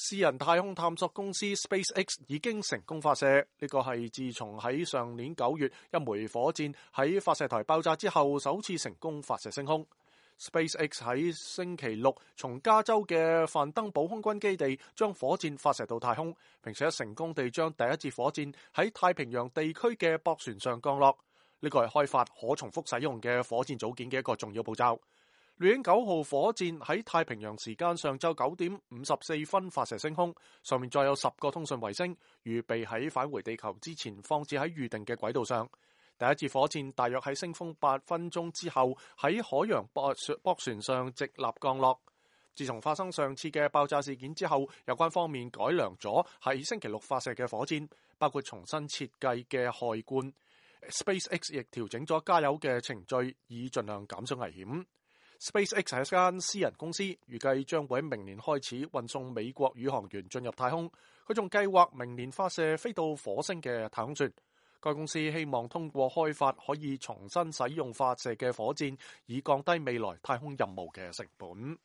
私人太空探索公司 SpaceX 已經成功發射，呢個係自從喺上年9月一枚火箭喺發射台爆炸之後，首次成功發射升空。SpaceX 喺星期六從加州嘅范登堡空軍基地將火箭發射到太空，並且成功地將第一節火箭喺太平洋地區嘅駁船上降落。呢個係開發可重複使用嘅火箭組件嘅一個重要步驟。獵鷹9號火箭喺太平洋時間上晝9點54分發射升空，上面再有10個通訊衛星，預備喺返回地球之前放置喺預定嘅軌道上。第一節火箭大約喺升空8分鐘之後喺海洋駁船上直立降落。自從發生上次嘅爆炸事件之後，有關方面改良咗喺星期六發射嘅火箭，包括重新設計嘅氦罐。SpaceX 亦調整咗加油嘅程序，以盡量減少危險。SpaceX 係一間私人公司，預計將會喺明年開始運送美國宇航員進入太空。佢仲計劃明年發射飛到火星嘅太空船。該公司希望通過開發可以重新使用發射嘅火箭，以降低未來太空任務嘅成本。